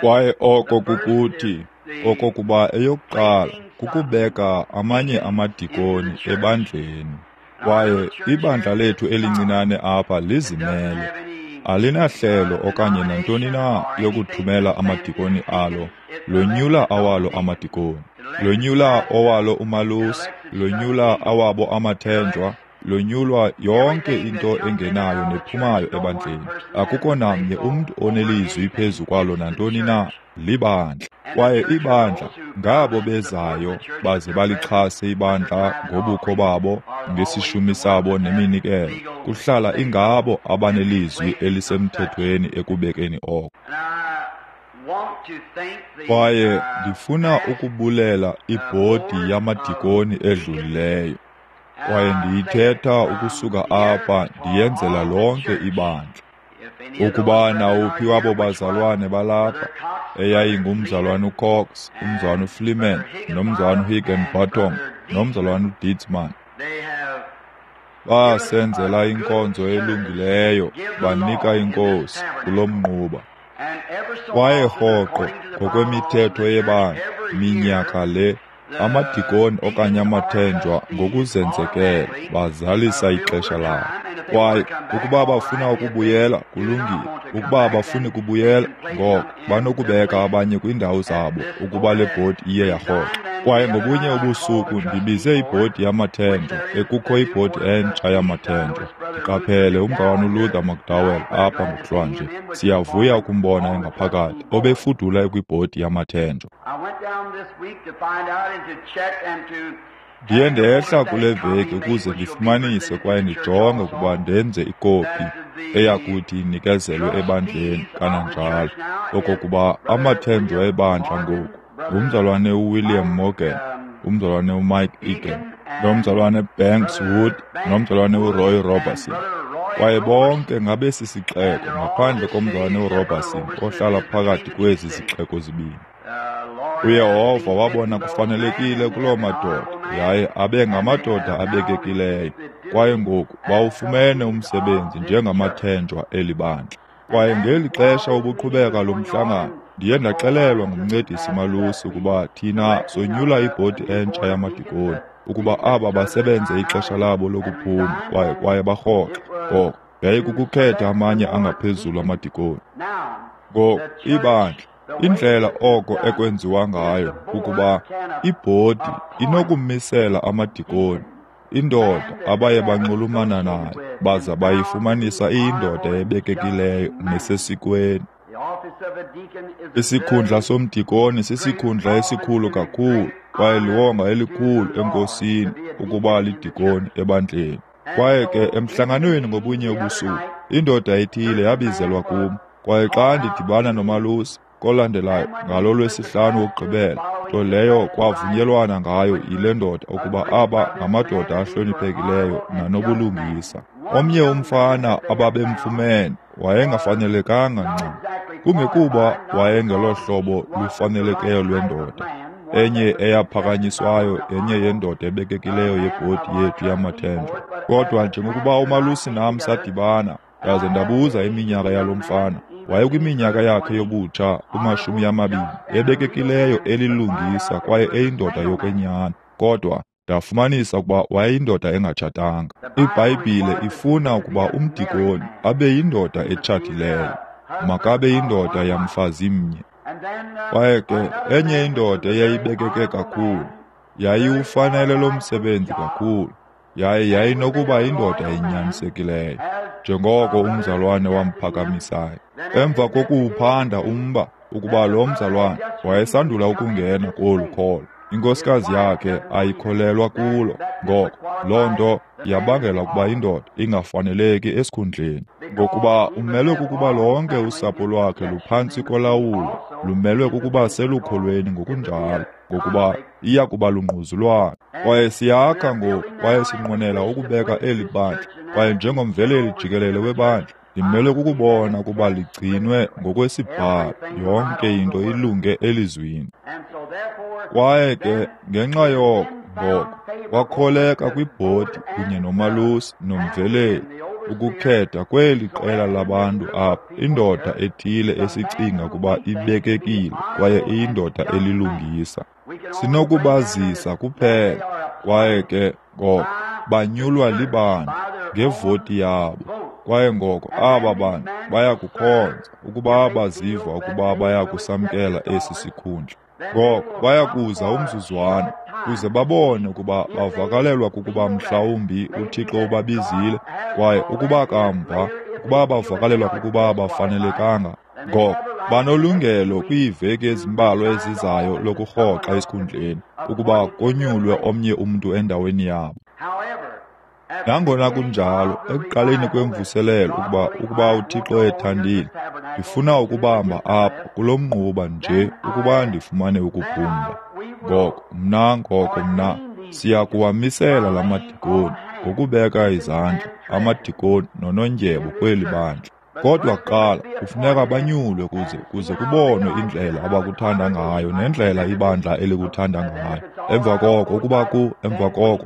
Kwaye oko kukuthi, okokuba eyokuqala kukubeka amanye amadikoni ebandleni. Kwaye ibandla lethu elincinane apha lizimele, alinahlelo okanye nantoni na yokuthumela amadikoni alo. Lonyula awalo amadikoni, lonyula owalo umalusi, lonyula awabo amathenjwa, lonyulwa yonke into engenayo nephumayo ebandleni. Akukho namnye umntu onelizwi phezu kwalo nantoni na, libandla. Kwaye ibandla ngabo bezayo baze balixhase ibandla ngobukho babo, ngesishumi sabo neminikelo. Kuhlala ingabo abanelizwi elisemthethweni ekubekeni oko. Kwaye ndifuna ukubulela ibhodi yamadikoni edlulileyo. Kwaye ndiyithetha ukusuka apha ndiyenzela lonke ibandla. Ukuba nawuphi wabo bazalwane balapha, eyayingumzalwane uCox, umzalwane uFleeman, nomzalwane uHigginbottom, nomzalwane uDitzman, basenzela inkonzo elungileyo, banika iNkosi kulo mnquba. Kwaye rhoqo ngokwemithetho yebandla, minyaka le, amadikoni okanye amathenjwa ngokuzenzekela bazalisa ixesha labo. Kwaye ukuba bafuna ukubuyela, kulungile. Ukuba abafuni kubuyela, ngoko banokubeka abanye kwiindawo zabo ukuba le bhodi iye yarhoxa. Kwaye ngobunye ubusuku ndibize ibhodi yamathenjwa, ekukho ibhodi entsha yamathenjwa. Ndiqaphele umzalwana uLuther McDowell apha ngokuhlwanje. Siyavuya ukumbona engaphakathi, obefudula ekwibhodi yamathenjwa. Ndiye ndehla kule veki ukuze ndifumanise kwaye ndijonge ukuba ndenze ikopi eyakuthi inikezelwe ebandleni kananjalo, okokuba amathenjwa ebandla ngoku ngumzalwane uWilliam Morgan, umzalwane uMike Egan, nomzalwane Banks Wood, nomzalwane uRoy Roberson. Kwaye bonke ngabesi sixeko ngaphandle komzalwane uRoberson ohlala phakathi kwezi zixeko zibini. UYehova wabona kufanelekile kuloo madoda, yaye abe ngamadoda abekekileyo. Kwaye ngoku bawufumene umsebenzi njengamathenjwa eli bandla. Kwaye ngeli xesha ubuqhubeka lo mhlangano, ndiye ndaxelelwa ngumncedisi malusi ukuba thina sonyula ibhodi entsha yamadikoni, ukuba aba basebenze ixesha labo lokuphuma kwaye barhoxe. Ngoko yayikukukhetha amanye angaphezulu amadikoni. Ngoku ibandla, indlela oko ekwenziwa ngayo kukuba ibhodi inokumisela amadikoni, indoda abaye banxulumana nayo baza bayifumanisa iyindoda ebekekileyo nesesikweni. Isikhundla somdikoni sisikhundla esikhulu kakhulu kwaye liwonga elikhulu enkosini ukuba lidikoni ebandleni. Kwaye ke emhlanganweni ngobunye ubusuku, indoda ethile yabizelwa kum. Kwaye xa ndidibana nomalusi kolandelayo ngalo lwesihlanu wokugqibela, nto leyo kwavunyelwana ngayo yile ndoda ukuba aba ngamadoda ahloniphekileyo nanobulungisa. Omnye umfana ababemfumene wayengafanelekanga ncam, kungekuba wayengelohlobo lufanelekileyo lwendoda, enye eyaphakanyiswayo yenye yendoda ebekekileyo yebhodi yethu yamathenjwa. Kodwa njengokuba umalusi nam sadibana, ndaze ndabuza iminyaka yalo mfana, wayekwiminyaka yakhe yobutsha kumashumi amabini, ebekekileyo elilungisa kwaye eyindoda yokwenyani. Kodwa ndafumanisa ukuba wayeyindoda engatshatanga. IBhayibhile ifuna ukuba umdikoni abe yindoda etshatileyo, makabe yindoda yamfazi mnye. Kwaye ke enye indoda eyayibekeke kakhulu, yayiwufanele lo msebenzi kakhulu, yaye yayinokuba yindoda enyanisekileyo, njengoko umzalwane wamphakamisayo. Emva kokuwuphanda umba ukuba lo mzalwane wayesandula ukungena kolu kholo, inkosikazi yakhe ayikholelwa kulo, ngoko loo nto yabangela ukuba indoda ingafaneleki esikhundleni. Ngokuba umelwe kukuba lonke usapho lwakhe luphantsi kolawulo, lumelwe kukuba selukholweni ngokunjalo, ngokuba iya kuba lungquzulwano. Kwaye siyakha ngoku, kwaye sinqwenela ukubeka eli bandla, kwaye njengomveleli jikelele webandla, ndimelwe kukubona ukuba ligcinwe ngokwesibhalo, yonke into ilunge elizwini. Kwaye ke ngenxa yoko ngoko kwakholeka kwibhodi kunye nomalusi nomveleli, ukukhetha kweli qela labantu apha indoda ethile esicinga ukuba ibekekile kwaye iyindoda elilungisa. Sinokubazisa kuphela, kwaye ke ngoko banyulwa libandla ngevoti yabo. Kwaye ngoko aba bantu bayakukhonza ukuba baziva ukuba bayakusamkela esi sikhundla. Ngoko bayakuza umzuzwana kuze babone ukuba bavakalelwa kukuba mhlawumbi uThixo ubabizile, kwaye ukuba kamva ukuba bavakalelwa kukuba bafanelekanga, ngoko banolungelo kwiiveki ezimbalwa ezizayo lokurhoxa esikhundleni ukuba konyulwe omnye umntu endaweni yabo. Nangona kunjalo, ekuqaleni kwemvuselelo ukuba uThixo ethandile, ndifuna ukubamba apha kulo mnquba nje ukuba ndifumane ukuphumla. Ngoko mna siya kuwamisela la madikoni ngokubeka izandla amadikoni nonondyebo kweli bandla. Kodwa kuqala kufuneka banyulwe kuze kubonwe indlela abakuthanda ngayo nendlela ibandla elikuthanda ngayo. Emva koko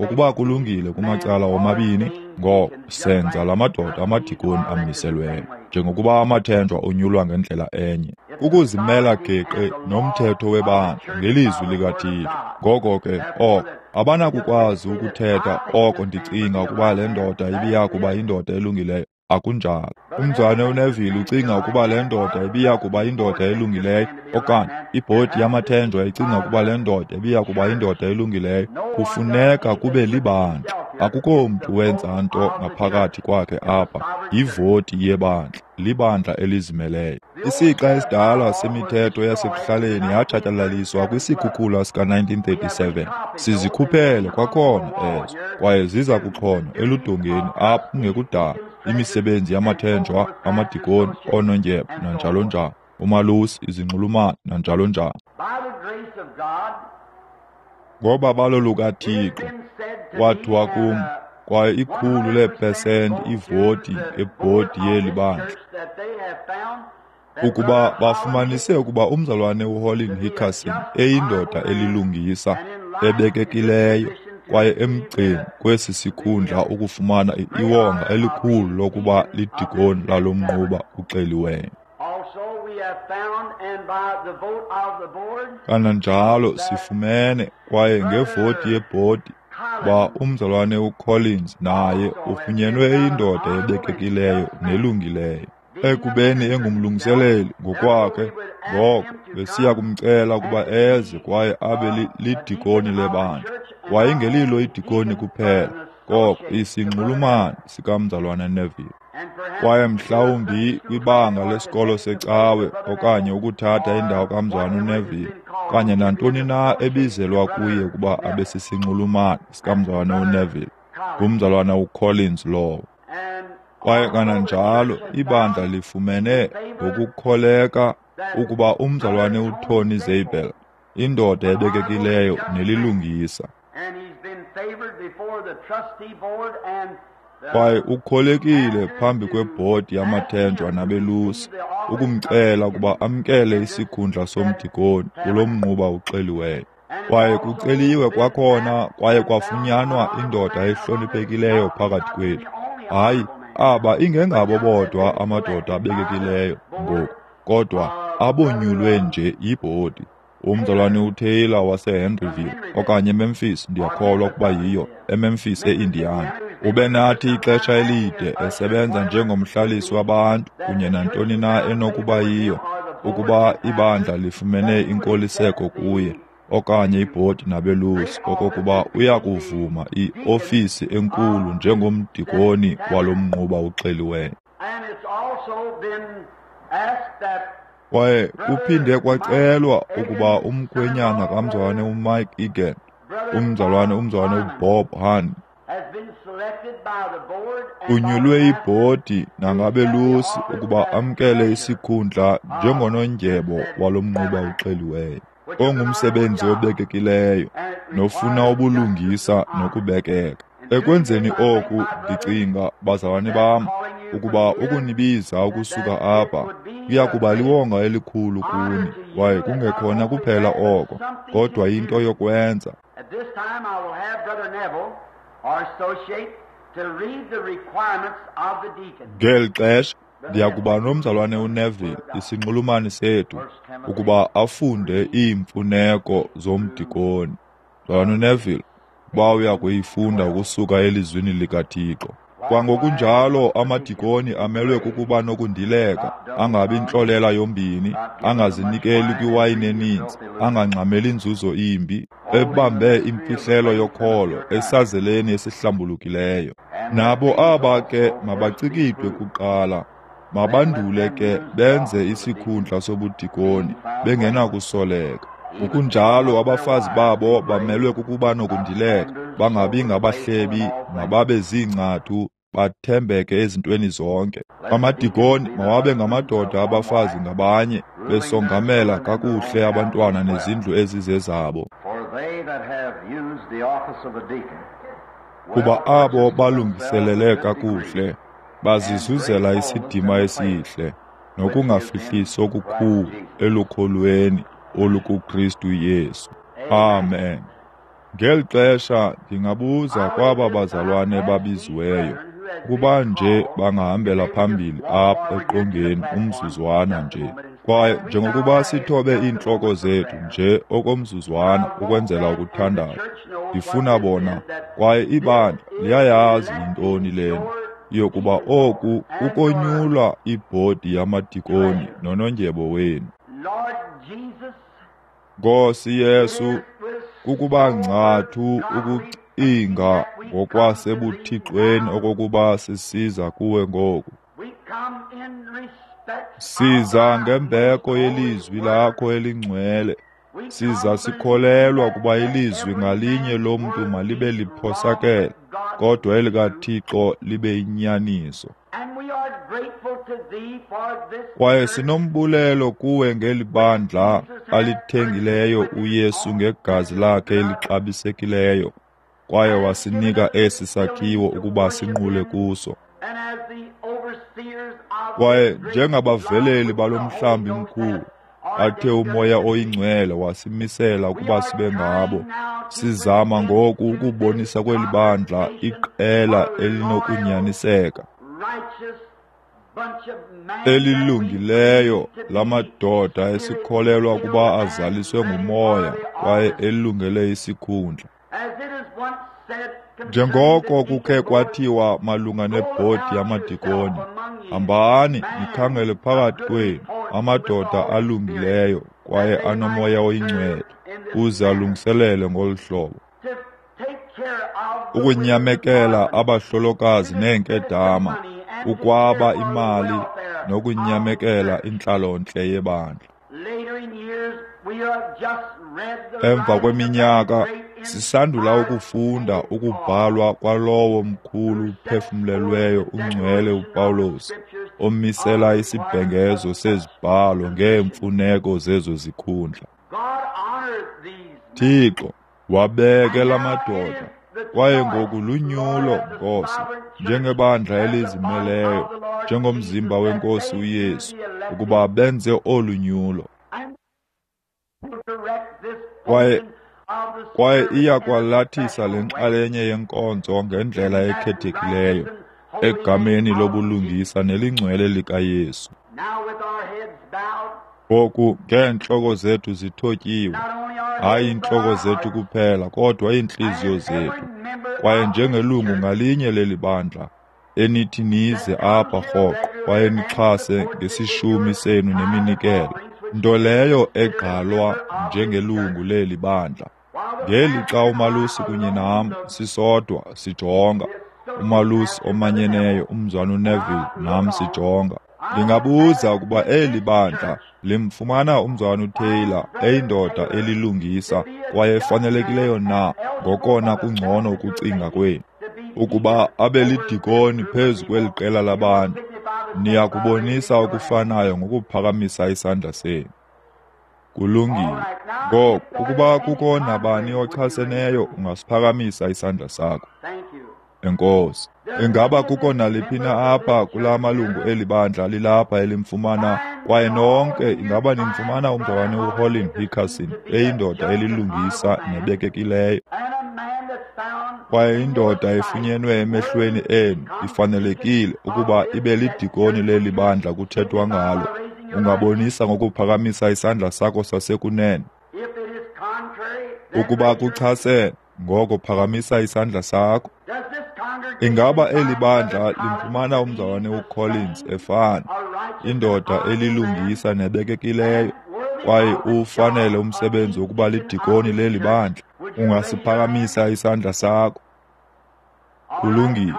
ukuba kulungile kumacala omabini, ngoko senza la madoda amadikoni amiselweyo, njengokuba amathenjwa onyulwa ngendlela enye. Ukuzimela geqe nomthetho webandla ngelizwi likaThixo. Ngoko ke oko abanakukwazi ukuthetha oko ndicinga ukuba le ndoda ibiya kuba yindoda elungileyo. Akunjalo. Umzalwane uNeville ucinga ukuba le ndoda ibiya kuba yindoda elungileyo, okanye ibhodi yamathenjwa icinga ukuba le ndoda ibiya kuba yindoda elungileyo. Kufuneka kube libandla. Akukho mntu wenza nto ngaphakathi kwakhe apha. Yivoti yebandla, libandla elizimeleyo. Isixa esidala semithetho yasekuhlaleni yatshatyalaliswa kwisikhukhula sika-1937. Sizikhuphele kwakhona ezo, kwaye ziza kuxhonywa eludongeni apha kungekudala. Imisebenzi yamathenjwa, amadikoni, oonondyebo nanjalo njalo, umalusi, izinxulumani nanjalo njalo. Ngobabalo lukaThixo kwathiwa kum, kwaye 100% ivoti ngebhodi yeli bandla, ukuba bafumanise ukuba umzalwane uHollin Hickerson eyindoda elilungisa, ebekekileyo kwaye emgceni kwesi sikhundla ukufumana iwonga elikhulu lokuba lidikoni lalo mnquba uxeliweyo. Kananjalo sifumene, kwaye ngevoti yebhodi, ba umzalwane uCollins naye ufunyenwe eyindoda ebekekileyo nelungileyo. Ekubeni engumlungiseleli ngokwakhe, ngoko besiya kumcela ukuba eze kwaye abe lidikoni lebandla. Wayengelilo idikoni kuphela, koko isinxulumani sikamzalwana Neville. Kwaye mhlawumbi kwibanga lesikolo secawe okanye ukuthatha indawo kamzalwana uNeville, okanye nantoni na ebizelwa kuye ukuba abe sisinxulumani sikamzalwana uNeville, ngumzalwana uCollins lowo. Kwaye kananjalo ibandla lifumene ngokukholeka ukuba umzalwane uTony Zabel, indoda ebekekileyo nelilungisa, kwaye ukholekile phambi kwebhodi yamathenjwa nabelusi ukumcela ukuba amkele isikhundla somdikoni kulo mnquba uxeliweyo. Kwaye kuceliwe kwakhona kwaye kwafunyanwa indoda ehloniphekileyo phakathi kwethu. Hayi, aba ingengabo bodwa amadoda abekekileyo ngoku, kodwa abonyulwe nje yibhodi. Umzalwane uTaylor waseHenryville okanye eMemphis, ndiyakholwa ukuba yiyo, eMemphis eIndiana. Ube nathi ixesha elide esebenza njengomhlalisi wabantu kunye nantoni na enokuba yiyo, ukuba ibandla lifumene inkoliseko kuye okanye ibhodi nabelusi okokuba uyakuvuma iofisi enkulu njengomdikoni walo mnquba uxeliweyo. Kwaye kuphinde kwacelwa ukuba umkhwenyana kamzalwane uMike Egan, umzalwane uBob Hunt, unyulwe ibhodi nangabelusi ukuba amkele isikhundla njengonondyebo walo mnquba uxeliweyo, ongumsebenzi obekekileyo nofuna ubulungisa nokubekeka. Ekwenzeni oku, ndicinga, bazalwane bam, ukuba ukunibiza ukusuka apha kuya kuba liwonga elikhulu kuni, kwaye kungekhona kuphela oko, kodwa into yokwenza. Ngeli xesha ndiyakuba nomzalwane uNeville, isinxulumani sethu, ukuba afunde iimfuneko zomdikoni. Mzalwane uNeville, ukuba uya kuyifunda ukusuka elizwini likaThixo. Kwangokunjalo amadikoni amelwe kukuba nokundileka, angabi ntlolela yombini, angazinikeli kwiwayini eninzi, angangxameli nzuzo imbi, ebambe imfihlelo yokholo esazeleni esihlambulukileyo. Nabo aba ke mabacikidwe kuqala, mabandule ke benze isikhundla sobudikoni bengenakusoleka. Ngokunjalo abafazi babo bamelwe kukuba nokundileka, bangabi ngabahlebi, mababe ziingcathu, bathembeke ezintweni zonke. Amadikoni mawabe ngamadoda abafazi ngabanye, besongamela kakuhle abantwana nezindlu ezizezabo. Kuba abo balungiselele kakuhle bazizuzela isidima esihle nokungafihlisi okukhulu elukholweni olukuKristu Yesu. Amen. Ngeli xesha ndingabuza kwaba bazalwane babiziweyo ukuba nje bangahambela phambili apha eqongeni umzuzwana nje. Kwaye njengokuba sithobe iintloko zethu nje okomzuzwana ukwenzela ukuthandaza, ndifuna bona, kwaye ibandla liyayazi yintoni lena, yokuba oku kukonyulwa ibhodi yamadikoni nonondyebo wenu. Nkosi Yesu, kukuba ngcathu ukucinga ngokwasebuthixweni okokuba sisiza kuwe ngoku. Siza ngembeko yelizwi lakho elingcwele. Siza sikholelwa kuba ilizwi ngalinye lomntu malibe liphosakele, kodwa elikaThixo libe yinyaniso. Kwaye sinombulelo kuwe ngeli bandla alithengileyo uYesu ngegazi lakhe elixabisekileyo, kwaye wasinika esi sakhiwo ukuba sinqule kuso. Kwaye njengabaveleli balo mhlambi mkhulu, athe uMoya oyiNgcwele wasimisela ukuba sibe ngabo, sizama ngoku ukubonisa kweli bandla iqela elinokunyaniseka, elilungileyo lamadoda esikholelwa ukuba azaliswe nguMoya kwaye elungele isikhundla. Njengoko kukhe kwathiwa malunga nebhodi yamadikoni, hambani nikhangele phakathi kwenu amadoda alungileyo kwaye anoMoya oyiNgcwele, uze alungiselele ngolu hlobo ukunyamekela abahlolokazi neenkedama, ukwaba imali nokunyamekela intlalontle yebandla. Emva kweminyaka sisandula ukufunda ukubhalwa kwalowo mkhulu uphefumlelweyo ungcwele uPawulos, omisela isibhengezo sezibhalo ngeemfuneko zezo zikhundla. Thixo, wabeke la madoda, kwaye ngoku lunyulo, Nkosi, njengebandla elizimeleyo, njengomzimba wenkosi uYesu, ukuba benze olu nyulo. Kwaye iya kwalathisa le nxalenye yenkonzo ngendlela ekhethekileyo, egameni lobulungisa nelingcwele likaYesu. Ngoku ngeentloko zethu zithotyiwe, hayi iintloko zethu kuphela kodwa iintliziyo zethu, kwaye njengelungu ngalinye leli bandla enithi nize apha rhoqo kwaye nixhase ngesishumi senu neminikelo, nto leyo egqalwa njengelungu leli bandla. Ngelixa umalusi kunye nam sisodwa sijonga, umalusi omanyeneyo umzwana uNeville nam sijonga, ndingabuza ukuba eli bandla limfumana umzwana uTaylor eyindoda elilungisa kwaye efanelekileyo na ngokona kungcono ukucinga kwenu, ukuba abe lidikoni phezu kweli qela labantu. Niya kubonisa okufanayo ngokuphakamisa isandla senu. Kulungile. Ngoku, ukuba kukho nabani ochaseneyo, ungasiphakamisa isandla sakho. Enkosi. Ingaba kukho naliphi na apha kula malungu eli bandla lilapha elimfumana, kwaye nonke ingaba nimfumana umzalwane uHolin Hickerson eyindoda elilungisa nebekekileyo, Kwaye indoda efunyenwe emehlweni enu ifanelekile ukuba ibe lidikoni leli bandla kuthethwa ngalo, ungabonisa ngokuphakamisa isandla sakho sasekunene. Ukuba kuchasene, ngoko phakamisa isandla sakho. Ingaba eli bandla limfumana umzalwane uCollins efana, indoda elilungisa nebekekileyo, kwaye uwufanele umsebenzi wokuba lidikoni leli bandla? Ungasiphakamisa isandla sakho. Kulungile.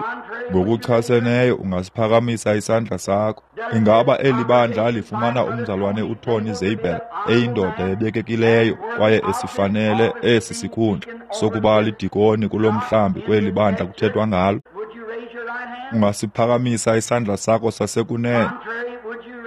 Ngokuchaseneyo ungasiphakamisa isandla sakho. Ingaba eli bandla lifumana umzalwane uTony Zabel eyindoda ebekekileyo kwaye esifanele esi sikhundla sokuba lidikoni kulo mhlambi kweli bandla kuthethwa ngalo? Ungasiphakamisa isandla sakho sasekunene.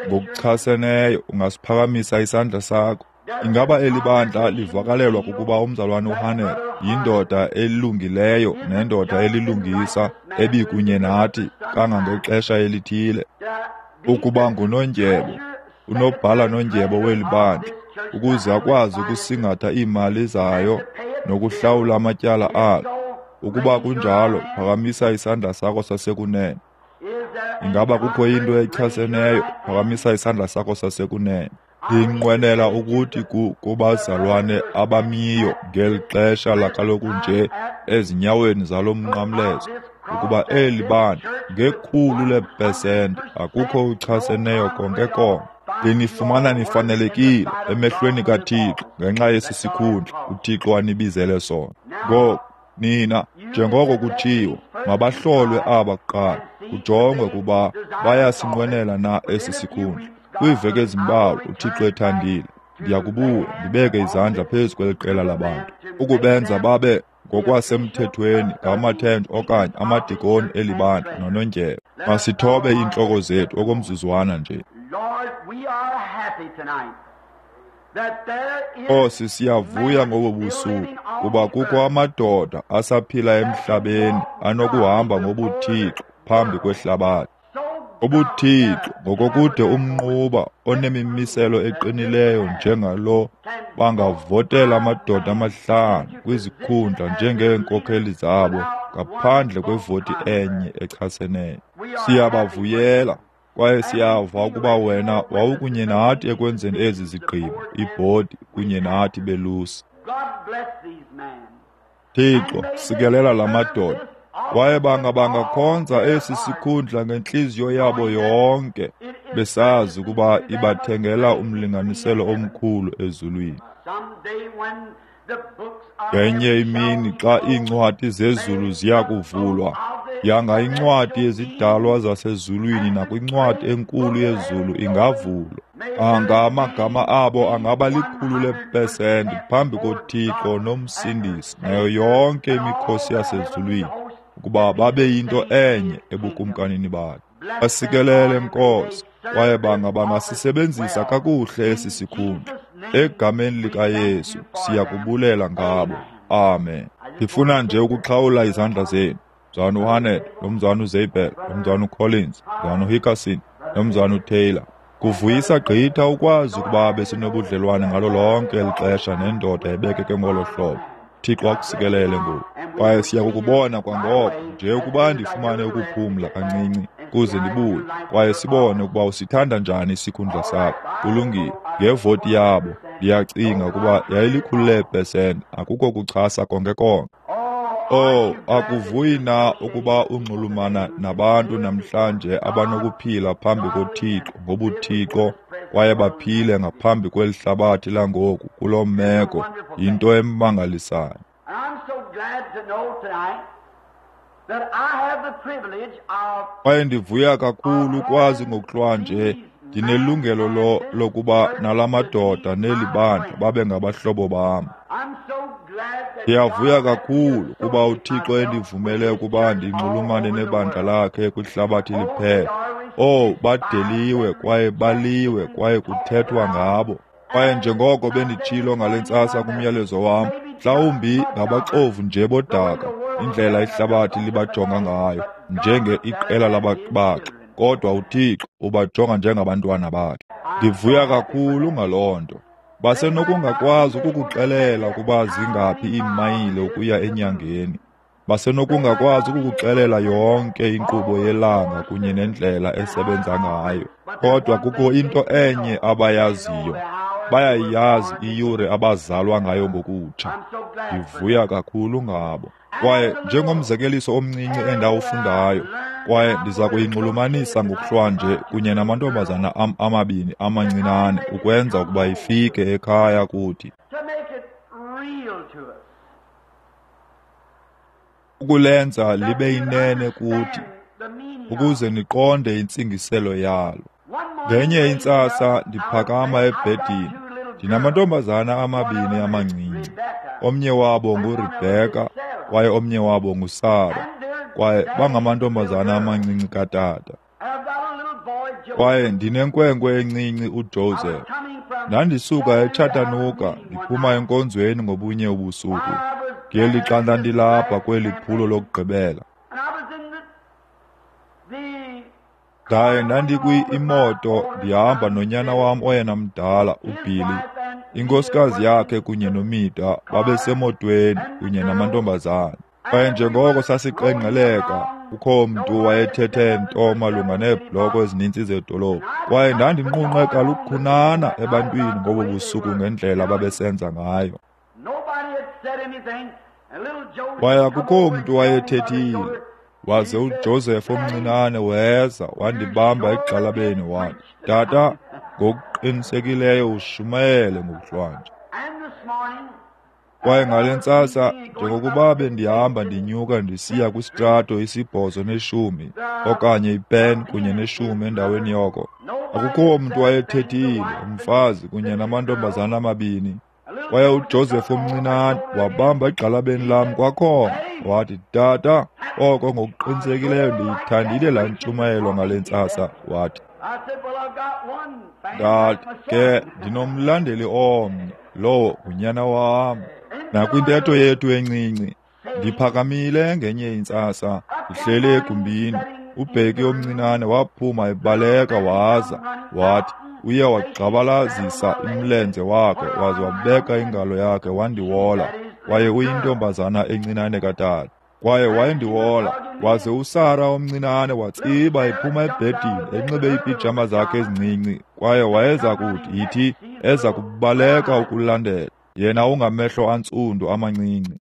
Ngokuchaseneyo ungasiphakamisa isandla sakho. Ingaba eli bandla livakalelwa kukuba umzalwane uHanel yindoda elungileyo nendoda elilungisa ebikunye nathi kangangexesha elithile, ukuba ngunondyebo, unobhala nondyebo weli bandla, ukuze akwazi ukusingatha iimali zayo nokuhlawula amatyala alo? Ukuba kunjalo, phakamisa isandla sakho sasekunene. Ingaba kukho into echaseneyo? Phakamisa isandla sakho sasekunene. Ndinqwenela ukuthi kubazalwane abamiyo ngeli xesha lakaloku nje ezinyaweni zalo mnqamlezo, ukuba eli bandla 100% akukho uchaseneyo konke konke. Ndinifumana nifanelekile emehlweni kaThixo ngenxa yesi sikhundla uThixo anibizele sona. Ngoku nina, njengoko kutshiwo, mabahlolwe aba kuqala, kujongwe kuba bayasinqwenela na esi sikhundla. Kwiiveki ezimbalwa, uThixo ethandile, ndiyakubuya ndibeke izandla phezu kweli qela labantu, ukubenza babe ngokwasemthethweni ngamathente okanye amadikoni eli bandla nonondyebo. Masithobe iintloko zethu okomzuzwana nje. Nkosi, siyavuya ngobu busuku kuba kukho amadoda asaphila emhlabeni anokuhamba ngobuthixo phambi kwehlabathi. Ubuthixo ngokokude umnquba onemimiselo eqinileyo njengalo bangavotela amadoda 5 kwizikhundla njengeenkokheli zabo ngaphandle kwevoti enye echaseneyo. Siyabavuyela kwaye siyava ukuba wena wawukunye nathi ekwenzeni ezi zigqibo, ibhodi kunye nathi belusi. Thixo, sikelela la madoda, kwaye bangakhonza esi sikhundla ngentliziyo yabo yonke, besazi ukuba ibathengela umlinganiselo omkhulu ezulwini. Ngenye imini xa iincwadi zezulu ziya kuvulwa, yanga incwadi yezidalwa zasezulwini nakwincwadi enkulu yezulu ingavulwa. Anga amagama abo angaba 100% phambi koThixo noMsindisi nayo yonke imikhosi yasezulwini, ukuba babe yinto enye ebukumkanini bakhe. Basikelele, Nkosi, kwaye bangasisebenzisa kakuhle esi sikhundla. Egameni likaYesu siyakubulela ngabo. Amen. Ndifuna nje ukuxhawula izandla zenu. Mzalwana uHanet, nomzalwana uZabel, nomzalwana uCollins, mzalwana uHickerson, nomzalwana uTaylor. Kuvuyisa gqitha ukwazi ukuba besinobudlelwane ngalo lonke eli xesha nendoda ebekeke ngolo hlobo. Thixo akusikelele ngoku. Kwaye siya kukubona kwangoko nje ukuba ndifumane ukuphumla kancinci kuze ndibuye, kwaye sibone ukuba usithanda njani isikhundla sakho. Kulungile. Ngevoti yabo, ndiyacinga ukuba yayili-100%, akukho kuchasa konke konke. Oh, akuvuyi na ukuba unxulumana nabantu namhlanje abanokuphila phambi koThixo ngobuthixo kwaye baphile ngaphambi kweli hlabathi langoku kuloo meko, yinto emangalisayo. Kwaye ndivuya kakhulu ukwazi ngokuhlwa nje ndinelungelo lokuba nala madoda neli bandla babe ngabahlobo bam. Ndiyavuya kakhulu kuba uThixo endivumele ukuba ndinxulumane nebandla lakhe kwihlabathi liphela. Oh, badeliwe kwaye baliwe kwaye kuthethwa ngabo. Kwaye njengoko benditshilo ngale ntsasa kumyalezo wam, mhlawumbi ngabaxovu nje bodaka, indlela ihlabathi libajonga ngayo, njenge iqela lababaxi, kodwa uThixo ubajonga njengabantwana bakhe. Ndivuya kakhulu ngaloo nto. Basenokungakwazi ukukuxelela ukuba zingaphi iimayile ukuya enyangeni. Basenokungakwazi ukukuxelela yonke inkqubo yelanga kunye nendlela esebenza ngayo, kodwa kukho into enye abayaziyo. Bayayazi iyure abazalwa ngayo ngokutsha. Ndivuya kakhulu ngabo. Kwaye njengomzekeliso omncinci endawufundayo, kwaye ndiza kuyinxulumanisa ngokuhlwanje kunye namantombazana am amabini amancinane ukwenza ukuba ifike ekhaya kuthi. Ukulenza libe inene kuthi, ukuze niqonde intsingiselo yalo. Ngenye intsasa ndiphakama ebhedini, ndinamantombazana amabini amancinci. Omnye wabo nguRebecca kwaye omnye wabo nguSara, kwaye bangamantombazana amancinci katata. Kwaye ndinenkwenkwe encinci uJoseph. Ndandisuka eChattanooga ndiphuma enkonzweni ngobunye ubusuku, ngelixa ndandilapha kweli phulo lokugqibela. Ndaye ndandikwi-imoto ndihamba nonyana wam oyena mdala uBilly. Inkosikazi yakhe kunye noMida babesemotweni kunye namantombazana. Kwaye njengoko sasiqengqeleka, kukho mntu wayethethe nto malunga neebhloko ezininzi zedolophu. Kwaye ndandinqunqe kalukhunana ebantwini ngobo busuku ngendlela ababesenza ngayo. Kwaye akukho mntu wayethethile. Waze uJoseph omncinane weza wandibamba egxalabeni wathi, "Tata, ngokuqinisekileyo ushumayele ngokuhlwanje." Kwaye ngale ntsasa, njengokuba bendihamba ndinyuka ndisiya kwisitrato isibhozo neshumi okanye ipen kunye neshumi endaweni yoko, akukho mntu wayethethile, umfazi kunye namantombazana amabini. Kwaye uJoseph omncinane wabamba egxalabeni lam kwakhona wathi, "Tata, oko ngokuqinisekileyo ndiyithandile laa ntshumayelo ngale ntsasa." Wathi, "Ndathi ke ndinomlandeli omnye, lowo ngunyana wam." Nakwintetho yethu encinci, ndiphakamile ngenye intsasa, ndihleli egumbini, uBheki omncinane waphuma ebaleka waza wathi, uye wagxabalazisa umlenze wakhe waze wabeka ingalo yakhe wandiwola. Kwaye uyintombazana encinane katata. Kwaye wayendiwola, waze uSara omncinane watsiba ephuma ebhedini enxibe iipijama zakhe ezincinci, kwaye wayeza kuthi yithi eza kubaleka ukulandela yena ungamehlo antsundu amancinci.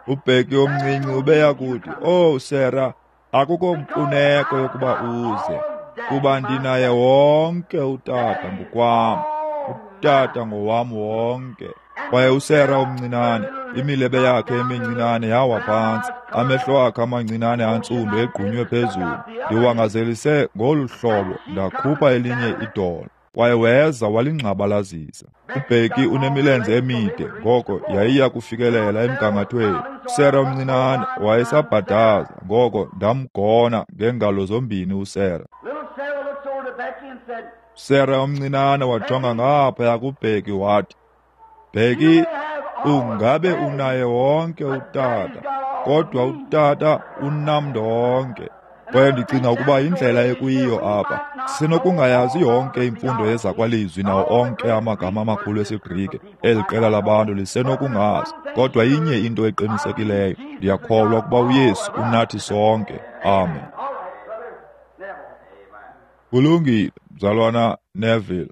UBheki omncinci ubeya kuthi, "Oh Sarah, akukho mfuneko yokuba uze, kuba ndinaye wonke utata ngokwam, utata ngowam wonke." Kwaye uSara omncinane, imilebe yakhe emincinane yawa phantsi, amehlo akhe amancinane antsundu egqunywe phezulu. Ndiwangazelise ngolu hlobo, ndakhupha elinye idolo. Kwaye weza walingxabalazisa. UBheki unemilenze emide, ngoko yayiya kufikelela emgangathweni. USara omncinane wayesabhadaza, ngoko ndamgona ngeengalo zombini uSara. USara omncinane wajonga ngaphaya kuBheki wathi, "Bheki, ungabe unaye wonke utata, kodwa utata unam ndonke." Kwaye ndicinga ukuba yindlela ekuyiyo apha. Sisenokungayazi yonke imfundo yezakwalizwi nawo onke amagama amakhulu esiGrike, eli qela labantu lisenokungazi, kodwa inye into eqinisekileyo, ndiyakholwa ukuba uYesu unathi sonke. Amen. Kulungile, mzalwana Neville.